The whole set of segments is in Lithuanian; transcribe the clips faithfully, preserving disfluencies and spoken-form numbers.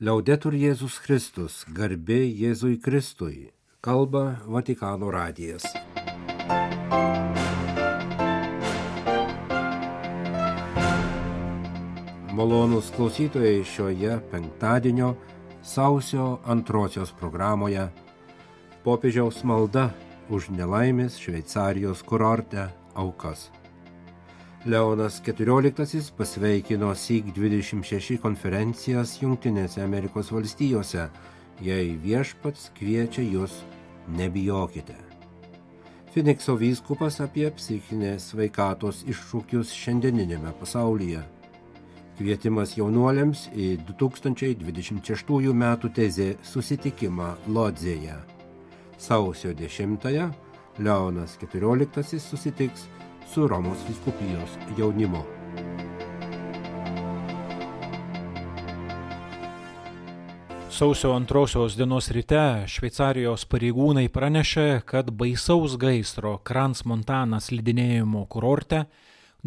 Liaudetur Jėzus Kristus, garbė Jėzui Kristui, kalba Vatikano radijas. Malonūs klausytojai, šioje penktadienio sausio antrosios programoje popiežiaus malda už nelaimės Šveicarijos kurorte aukas. Leonas keturioliktasis pasveikino syk dvidešimt šeši konferencijas Jungtinėse Amerikos valstijose, jei viešpats kviečia jūs, nebijokite. Finikso vyskupas apie psichinės sveikatos iššūkius šiandieninėme pasaulyje. Kvietimas jaunuoliams į du tūkstančiai dvidešimt šeštųjų metų tezė susitikimą Lodzėje. Sausio dešimtąją Leonas keturioliktasis susitiks su Romos vyskupijos jaunimu. Sausio antrosios dienos ryte Šveicarijos pareigūnai pranešė, kad baisaus gaisro Crans-Montana slidinėjimo kurorte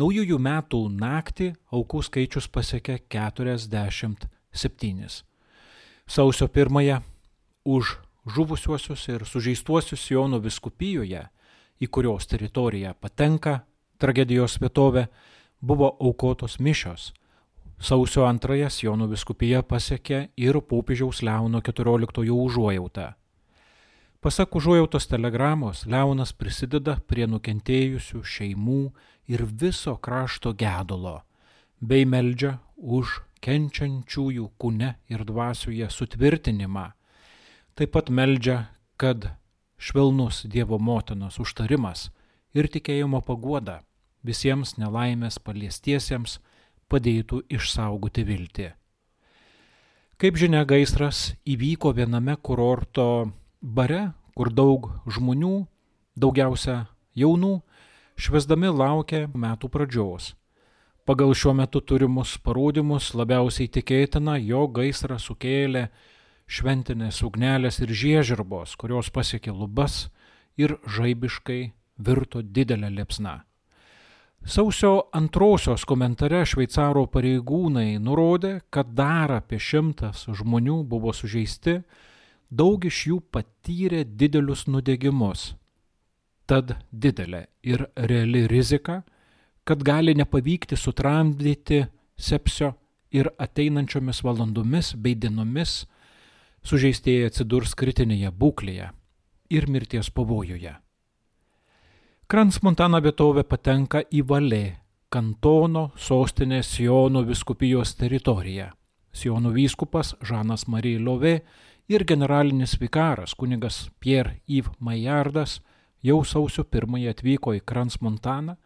naujųjų metų naktį aukų skaičius pasiekė keturiasdešimt septynis. Sausio pirmąją už žuvusiuosius ir sužeistuosius Siono vyskupijoje, į kurios teritoriją patenka tragedijos vietovė, buvo aukotos mišios. Sausio antrąją Siono vyskupija pasiekė ir popiežiaus Leono keturioliktojo užuojautą. Pasak užuojautos telegramos, Leonas prisideda prie nukentėjusių šeimų ir viso krašto gedulo, bei meldžia už kenčiančiųjų kūne ir dvasioje sutvirtinimą. Taip pat meldžia, kad švelnus Dievo motinos užtarimas ir tikėjimo paguoda visiems nelaimės paliestiesiems padėtų išsaugoti viltį. Kaip žinia, gaisras įvyko viename kurorto bare, kur daug žmonių, daugiausia jaunų, švęsdami laukia metų pradžios. Pagal šiuo metu turimus parodymus labiausiai tikėtina, jog gaisrą sukėlė šventinės ugnelės ir žiežirbos, kurios pasiekė lubas ir žaibiškai virto didelę liepsną. Sausio antrosios komentare šveicaro pareigūnai nurodė, kad dar apie šimtas žmonių buvo sužeisti, daug iš jų patyrė didelius nudegimus. Tad didelė ir reali rizika, kad gali nepavykti sutramdyti sepsio ir ateinančiomis valandomis bei dienomis sužeistieji atsidurs kritinėje būklėje ir mirties pavojuje. Crans-Montana vietovė patenka į Valė, kantono sostinės Siono vyskupijos teritoriją. Siono vyskupas Žanas Marie Lovė ir generalinis vikaras kunigas Pierre-Yves Maillardas jau sausio pirmąją atvyko į Crans-Montaną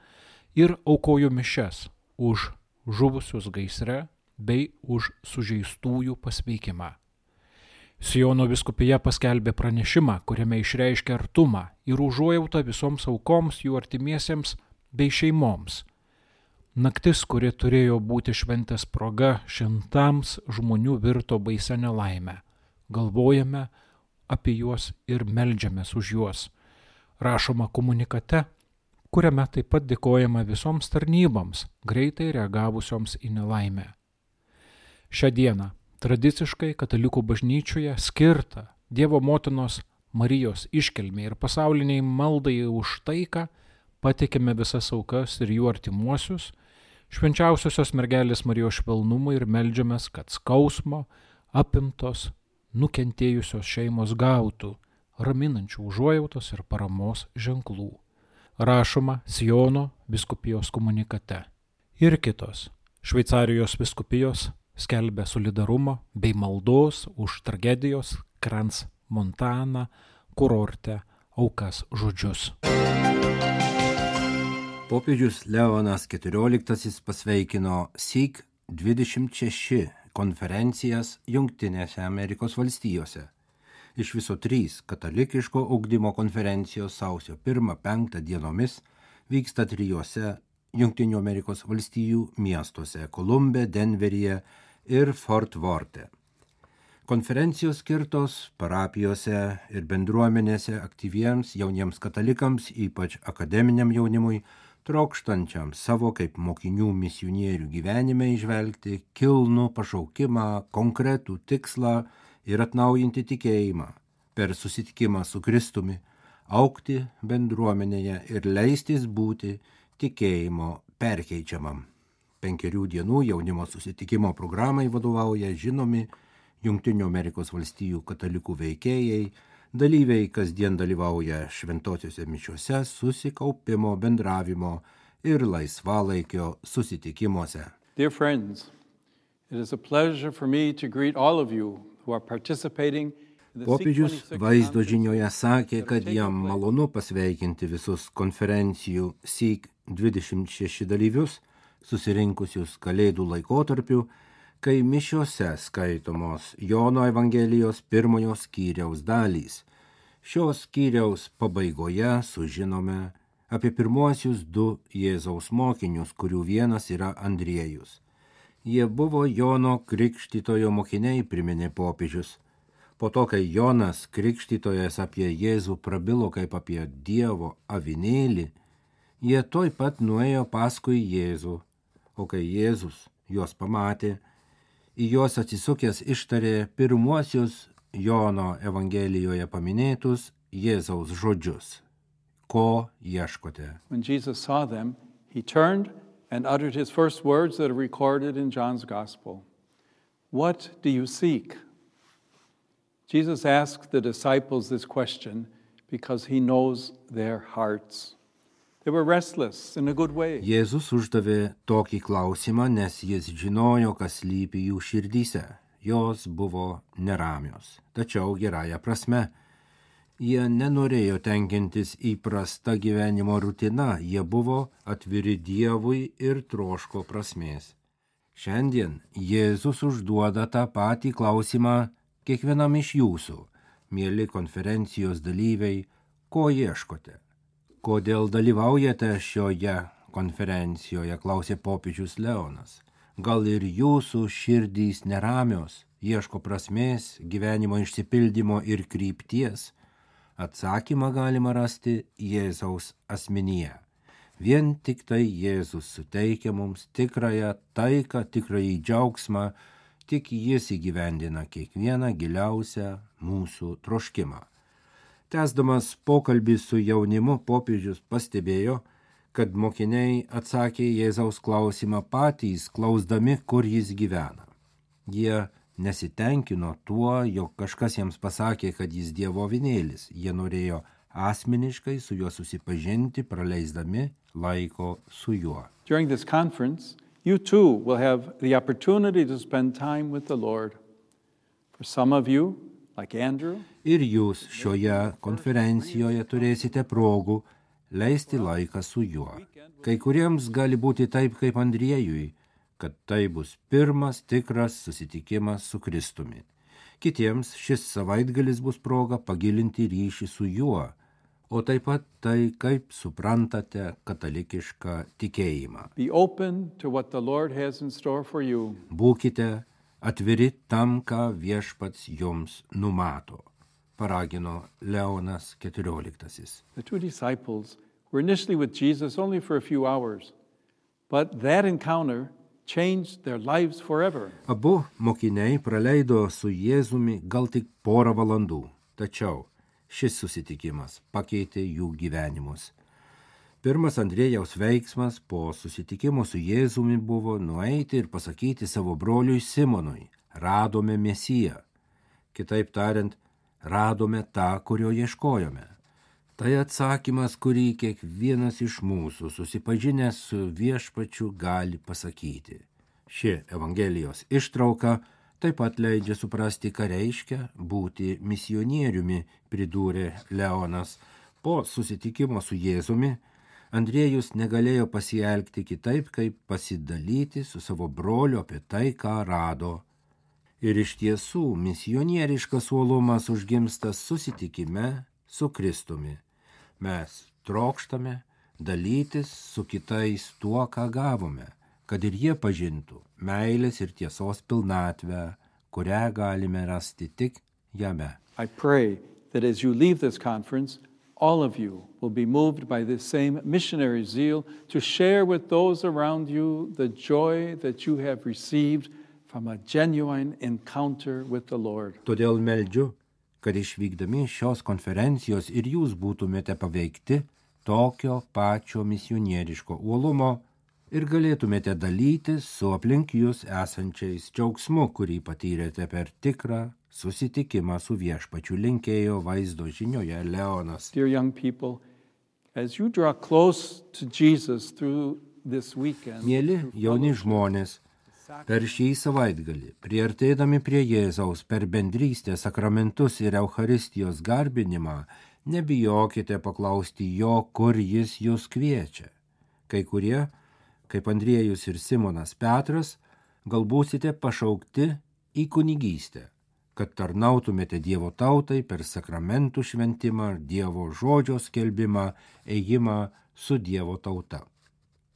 ir aukojo mišias už žuvusius gaisre bei už sužeistųjų pasveikimą. Siono vyskupija paskelbė pranešimą, kuriame išreiškė artumą ir užuojautą visoms aukoms, jų artimiesiems bei šeimoms. Naktis, kuri turėjo būti šventės proga šimtams žmonių, virto baisia nelaime. Galvojame apie juos ir meldžiamės už juos. Rašoma komunikate, kuriame taip pat dėkojama visoms tarnyboms, greitai reagavusioms į nelaimę. Šią dieną tradiciškai katalikų bažnyčioje skirta Dievo motinos Marijos iškilmei ir pasauliniai maldai už taiką patikime visas aukas ir jų artimuosius, švenčiausiosios mergelės Marijos švelnumui ir meldžiamės, kad skausmo apimtos nukentėjusios šeimos gautų raminančių užuojautos ir paramos ženklų. Rašoma Siono vyskupijos komunikate. Ir kitos Šveicarijos vyskupijos skelbia solidarumo bei maldos už tragedijos Crans-Montana kurorte aukas žodžius. Popiežius Leonas keturioliktasis pasveikino syk dvidešimt šeši konferencijas Jungtinėse Amerikos valstijose. Iš viso trys katalikiško ugdymo konferencijos sausio pirmą penktą dienomis vyksta trijose Jungtinių Amerikos valstijų miestuose – Kolumbe, Denveryje ir Fort Worte. Konferencijos skirtos parapijose ir bendruomenėse aktyviems jauniems katalikams, ypač akademiniam jaunimui, trokštančiam savo kaip mokinių misionierių gyvenime įžvelgti kilnų pašaukimą, konkretų tikslą ir atnaujinti tikėjimą per susitikimą su Kristumi, augti bendruomenėje ir leistis būti tikėjimo perkeičiamam. Penkerių dienų jaunimo susitikimo programai vadovauja žinomi Jungtinių Amerikos valstijų katalikų veikėjai, dalyviai kasdien dalyvauja šventosiuose mišiuose, susikaupimo, bendravimo ir laisvalaikio susitikimuose. Dear friends, it is a pleasure for me to greet all of you who are participating. Popiežius vaizdo žinioje sakė, kad jam malonu pasveikinti visus konferencijų S Y K dvidešimt šeši dalyvius, susirinkusius Kalėdų laikotarpiu, kai mišiose skaitomos Jono Evangelijos pirmojo skyriaus dalys. Šios skyriaus pabaigoje sužinome apie pirmuosius du Jėzaus mokinius, kurių vienas yra Andriejus. Jie buvo Jono Krikštytojo mokiniai, priminė popiežius. Po to, kai Jonas Krikštytojas apie Jėzų prabilo kaip apie Dievo avinėlį, jie toj pat nuėjo paskui Jėzų, o kai Jėzus juos pamatė, į juos atsisukęs ištarė pirmuosius Jono Evangelijoje paminėtus Jėzaus žodžius. Ko ieškote? When Jesus saw them, he turned and uttered his first words that are recorded in John's Gospel. What do you seek? Jesus asked the disciples this question because he knows their hearts. They were restless in a good way. Jėzus uždavė tokį klausimą, nes jis žinojo, kas slypi jų širdyse. Jos buvo neramios, tačiau gerąja prasme. Jie nenorėjo tenkintis įprasta gyvenimo rutina, jie buvo atviri Dievui ir troško prasmės. Šiandien Jėzus užduoda tą patį klausimą kiekvienam iš jūsų, mieli konferencijos dalyviai, ko ieškote? Kodėl dalyvaujate šioje konferencijoje, klausė popiežius Leonas. Gal ir jūsų širdys neramios, ieško prasmės, gyvenimo išsipildymo ir krypties? Atsakymą galima rasti Jėzaus asmenyje. Vien tik tai Jėzus suteikia mums tikrąją taiką, tikrąjį džiaugsmą, tik jis įgyvendina kiekvieną giliausią mūsų troškimą. Tęsdamas pokalbį su jaunimu, popiežius pastebėjo, kad mokiniai atsakė Jėzaus klausimą patys, klausdami, kur jis gyvena. Jie nesitenkino tuo, jog kažkas jiems pasakė, kad jis Dievo avinėlis. Jie norėjo asmeniškai su juo susipažinti, praleisdami laiko su juo. During this conference, you too will have the opportunity to spend time with the Lord. For some of you, like Andrew, ir jūs šioje konferencijoje turėsite progų leisti laiką su juo. Kai kuriems gali būti taip kaip Andriejui, kad tai bus pirmas tikras susitikimas su Kristumi. Kitiems šis savaitgalis bus proga pagilinti ryšį su juo, o taip pat tai, kaip suprantate katalikišką tikėjimą. be open to what the Lord has in store for you. Būkite atviri tam, ką viešpats jums numato, paragino Leonas keturioliktasis. The two disciples were initially with Jesus only for a few hours, but that encounter changed their lives forever. Abu mokiniai praleido su Jėzumi gal tik porą valandų, tačiau šis susitikimas pakeitė jų gyvenimus. Pirmas Andriejaus veiksmas po susitikimo su Jėzumi buvo nueiti ir pasakyti savo broliui Simonui: radome Mesiją. Kitaip tariant, radome tą, kurio ieškojome. Tai atsakymas, kurį kiekvienas iš mūsų susipažinęs su viešpačiu gali pasakyti. Ši Evangelijos ištrauka taip pat leidžia suprasti, ką reiškia būti misionieriumi, pridūrė Leonas. Po susitikimo su Jėzumi Andriejus negalėjo pasielgti kitaip, kaip pasidalyti su savo broliu apie tai, ką rado. Ir iš tiesų misionieriškas uolumas užgimsta susitikime su Kristumi. Mes trokštame dalytis su kitais tuo, ką gavome, kad ir jie pažintų meilės ir tiesos pilnatvę, kurią galime rasti tik jame. I pray that as you leave this conference, all of you will be moved by this same missionary zeal to share with those around you the joy that you have received from a genuine encounter with the Lord. Todėl meldžiu, kad išvykdami šios konferencijos ir jūs būtumėte paveikti tokio pačio misionieriško uolumo ir galėtumėte dalytis su aplink jūs esančiais džiaugsmu, kurį patyrėte per tikrą susitikimą su viešpačiu, linkėjo vaizdo žinioje Leonas. Dear young people, as you draw close to Jesus through this weekend, Mieli jauni žmonės, per šį savaitgalį, priartėdami prie Jėzaus per bendrystę, sakramentus ir Eucharistijos garbinimą, nebijokite paklausti jo, kur jis jūs kviečia. Kai kurie, kaip Andriejus ir Simonas Petras, gal būsite pašaukti į kunigystę, kad tarnautumėte Dievo tautai per sakramentų šventimą, Dievo žodžio skelbimą, ėjimą su Dievo tauta.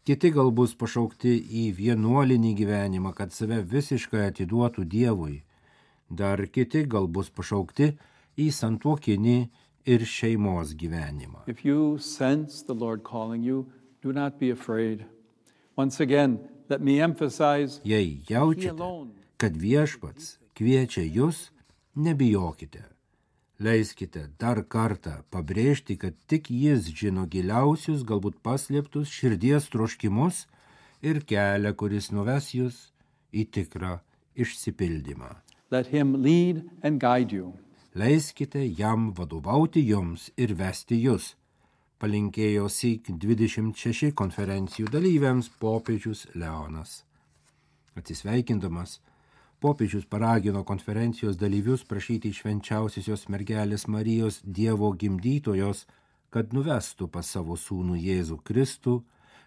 Kiti gal bus pašaukti į vienuolinį gyvenimą, kad save visiškai atiduotų Dievui. Dar kiti gal bus pašaukti į santuokinį ir šeimos gyvenimą. If you sense the Lord calling you, do not be afraid. Once again, let me emphasize, Jei He jaučiate, alone kad viešpats kviečia jūs, nebijokite. Leiskite dar kartą pabrėžti, kad tik jis žino giliausius, galbūt paslėptus širdies troškimus ir kelią, kuris nuves jūs į tikrą išsipildymą. let Him lead and guide you. Leiskite jam vadovauti jums ir vesti jūs, palinkėjo syk dvidešimt šeši konferencijų dalyviams popiežius Leonas. Atsisveikindamas, popiežius paragino konferencijos dalyvius prašyti švenčiausiosios mergelės Marijos Dievo gimdytojos, kad nuvestų pas savo sūnų Jėzų Kristų,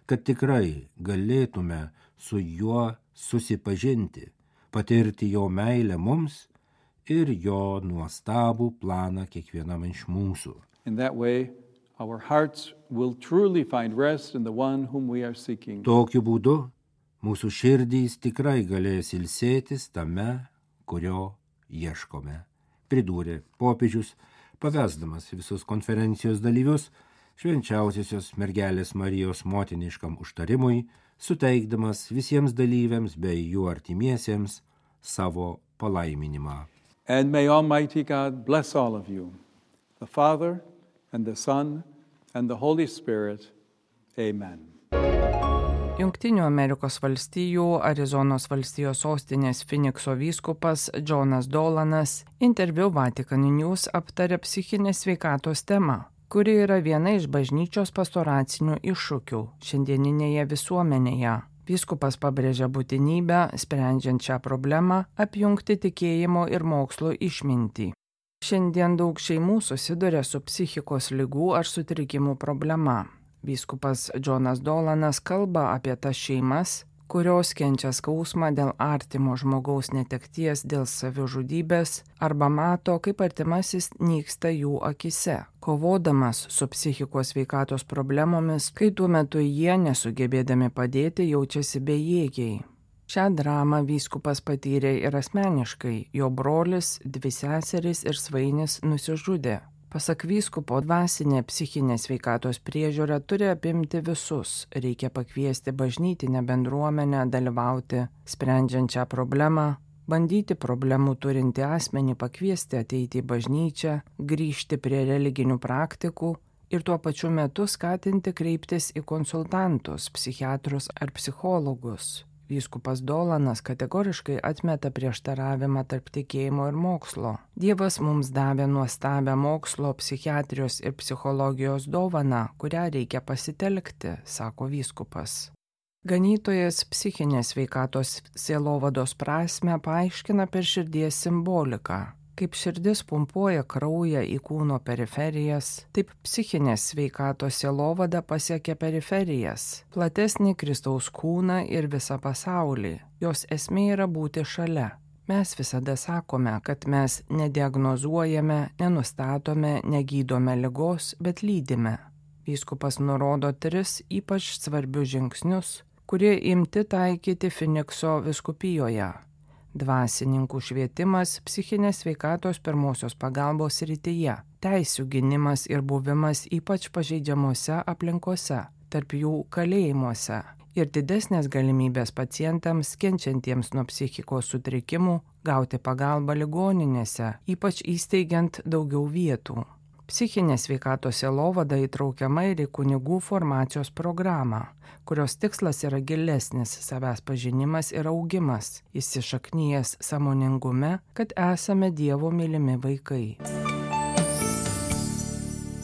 kad tikrai galėtume su juo susipažinti, patirti jo meilę mums ir jo nuostabų planą kiekvienam iš mūsų. In that way, our hearts will truly find rest in the one whom we are seeking. Tokiu būdu mūsų širdys tikrai galės ilsėtis tame, kurio ieškome, pridūrė popiežius, pavesdamas visus konferencijos dalyvius švenčiausiosios mergelės Marijos motiniškam užtarimui, suteikdamas visiems dalyviams bei jų artimiesiems savo palaiminimą. And may Almighty God bless all of you, the Father and the Son and the Holy Spirit. Amen. Jungtinių Amerikos valstijų Arizonos valstijos sostinės Finikso vyskupas Jonas Dolanas interviu Vatican News aptarė psichinės sveikatos temą, kuri yra viena iš bažnyčios pastoracinių iššūkių šiandieninėje visuomenėje. Vyskupas pabrėžia būtinybę, sprendžiant šią problemą, apjungti tikėjimo ir mokslo išmintį. Šiandien daug šeimų susiduria su psichikos ligų ar sutrikimų problema. Vyskupas Jonas Dolanas kalba apie tas šeimas, kurios kenčia skausmą dėl artimo žmogaus netekties dėl savižudybės arba mato, kaip artimasis nyksta jų akise, kovodamas su psichikos sveikatos problemomis, kai tuo metu jie, nesugebėdami padėti, jaučiasi bejėgiai. Šią dramą vyskupas patyrė ir asmeniškai, jo brolis, dvi seserys ir svainis nusižudė. Pasak vyskupo, dvasinė psichinė sveikatos priežiūra turi apimti visus, reikia pakviesti bažnytinę bendruomenę dalyvauti, sprendžiant šią problemą, bandyti problemų turinti asmenį pakviesti ateiti į bažnyčią, grįžti prie religinių praktikų ir tuo pačiu metu skatinti kreiptis į konsultantus, psichiatrus ar psichologus. Vyskupas Dolanas kategoriškai atmeta prieštaravimą tarp tikėjimo ir mokslo. Dievas mums davė nuostabią mokslo, psichiatrijos ir psichologijos dovaną, kurią reikia pasitelkti, sako vyskupas. Ganytojas psichinės sveikatos sielovados prasmę paaiškina per širdies simboliką. Kaip širdis pumpuoja kraują į kūno periferijas, taip psichinės sveikatos sielovada pasiekia periferijas, platesnį Kristaus kūną ir visą pasaulį. Jos esmė yra būti šalia. Mes visada sakome, kad mes nediagnozuojame, nenustatome, negydome ligos, bet lydime. Vyskupas nurodo tris ypač svarbius žingsnius, kurie imti taikyti Finikso vyskupijoje. dvasininkų švietimas psichinės sveikatos pirmosios pagalbos srityje, teisių gynimas ir buvimas ypač pažeidžiamose aplinkose, tarp jų kalėjimuose, ir didesnės galimybės pacientams kenčiantiems nuo psichikos sutrikimų gauti pagalbą ligoninėse, ypač įsteigiant daugiau vietų. Psichinės sveikatos sielovada įtraukiama ir į kunigų formacijos programą, kurios tikslas yra gilesnis savęs pažinimas ir augimas, įsišaknyjęs sąmoningume, kad esame Dievo mylimi vaikai.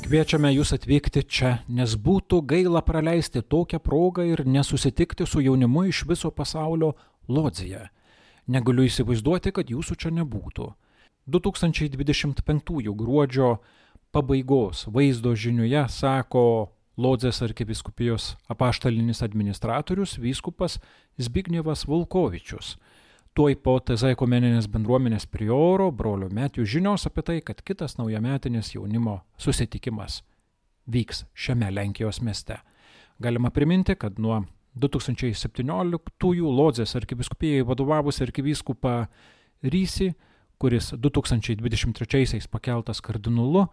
Kviečiame jūs atvykti čia, nes būtų gaila praleisti tokią progą ir nesusitikti su jaunimu iš viso pasaulio Lodzėje. Negaliu įsivaizduoti, kad jūsų čia nebūtų. du tūkstančiai dvidešimt penktųjų gruodžio pabaigos vaizdo žiniuje sako Lodzės arkivyskupijos apaštalinis administratorius vyskupas Zbignevas Volkovičius. Tuoj po T Z ekumeninės bendruomenės prioro brolio Metijų žinios apie tai, kad kitas naujametinis jaunimo susitikimas vyks šiame Lenkijos mieste. Galima priminti, kad nuo du tūkstančiai septynioliktųjų Lodzės arkivyskupijai vadovavus arkivyskupą Rysį, kuris du tūkstančiai dvidešimt trečiaisiais pakeltas kardinolu,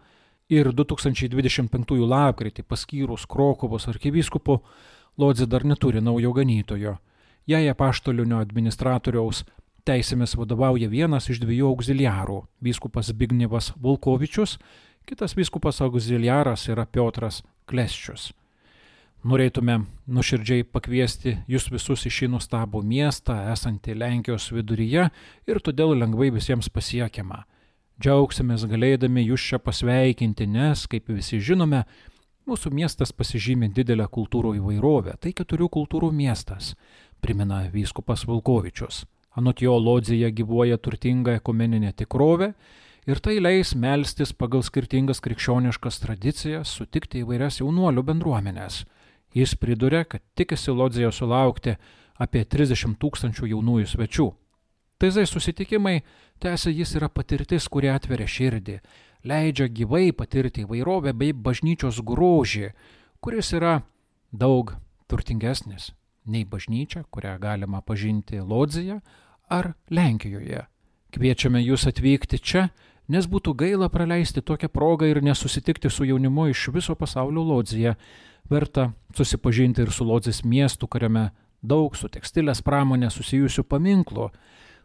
ir du tūkstančiai dvidešimt penktųjų lapkritį paskyrus Krokuvos arkivyskupu, Lodzė dar neturi naujo ganytojo. Jai apaštalinio administratoriaus teisėmis vadovauja vienas iš dviejų auxiliarų – vyskupas Zbignevas Volkovičius, kitas vyskupas auxiliaras yra Piotras Klesčius. Norėtume nuoširdžiai pakviesti jūs visus į šį nuostabų miestą, esantį Lenkijos viduryje ir todėl lengvai visiems pasiekiama. Džiaugsimės galėdami jūs čia pasveikinti, nes, kaip visi žinome, mūsų miestas pasižymi didelę kultūrų įvairovę. Tai keturių kultūrų miestas, primena vyskupas Volkovičius. Anot jo Lodzėje gyvuoja turtinga ekumeninė tikrovė ir tai leis melstis pagal skirtingas krikščioniškas tradicijas, sutikti įvairias jaunuolių bendruomenės. Jis priduria, kad tikisi Lodzėje sulaukti apie trisdešimt tūkstančių jaunųjų svečių. T Z susitikimai, tęsia jis, yra patirtis, kuri atveria širdį, leidžia gyvai patirti įvairovę bei bažnyčios grožį, kuris yra daug turtingesnis nei bažnyčia, kurią galima pažinti Lodzėje ar Lenkijoje. Kviečiame jūs atvykti čia, nes būtų gaila praleisti tokią progą ir nesusitikti su jaunimu iš viso pasaulio Lodzėje. Verta susipažinti ir su Lodzės miestu, kuriame daug su tekstilės pramonė susijusių paminklų.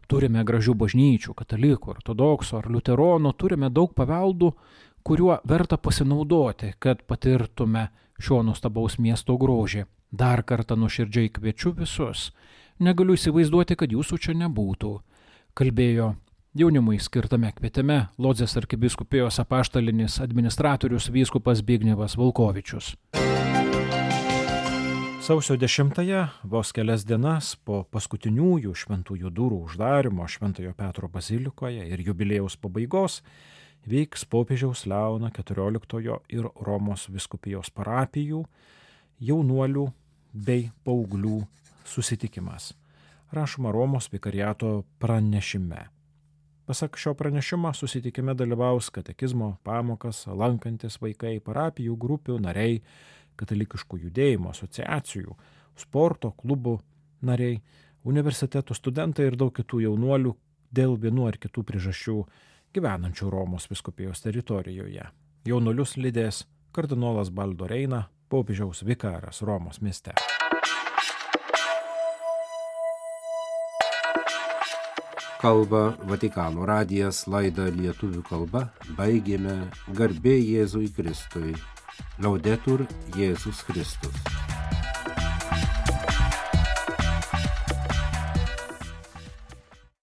Turime gražių bažnyčių, katalikų, ortodoksų ar liuteronų, turime daug paveldų, kuriuo verta pasinaudoti, kad patirtume šio nuostabaus miesto grožį. Dar kartą nuoširdžiai kviečiu visus. Negaliu įsivaizduoti, kad jūsų čia nebūtų. Kalbėjo jaunimui skirtame kvietime Lodzės arkivyskupijos apaštalinis administratorius vyskupas Zbignevas Volkovičius. Sausio dešimtąją, vos kelias dienas po paskutiniųjų šventųjų durų uždarimo Šventojo Petro bazilikoje ir jubiliejaus pabaigos, vyks popiežiaus Leono keturioliktojo ir Romos vyskupijos parapijų, jaunuolių bei paauglių susitikimas. Rašoma Romos vikariato pranešime. Pasak šio pranešimo, susitikime dalyvaus katekizmo pamokas lankantis vaikai, parapijų grupių nariai, katalikiškų judėjimo asociacijų, sporto klubų nariai, universitetų studentai ir daug kitų jaunuolių dėl vienų ar kitų priežasčių gyvenančių Romos vyskupijos teritorijoje. Jaunuolius lydės kardinolas Baldo Reina, popiežiaus vikaras Romos mieste. Kalba Vatikano radijas, laidą lietuvių kalba baigėme. Garbė Jėzui Kristui. Laudetur Jėzus Kristus.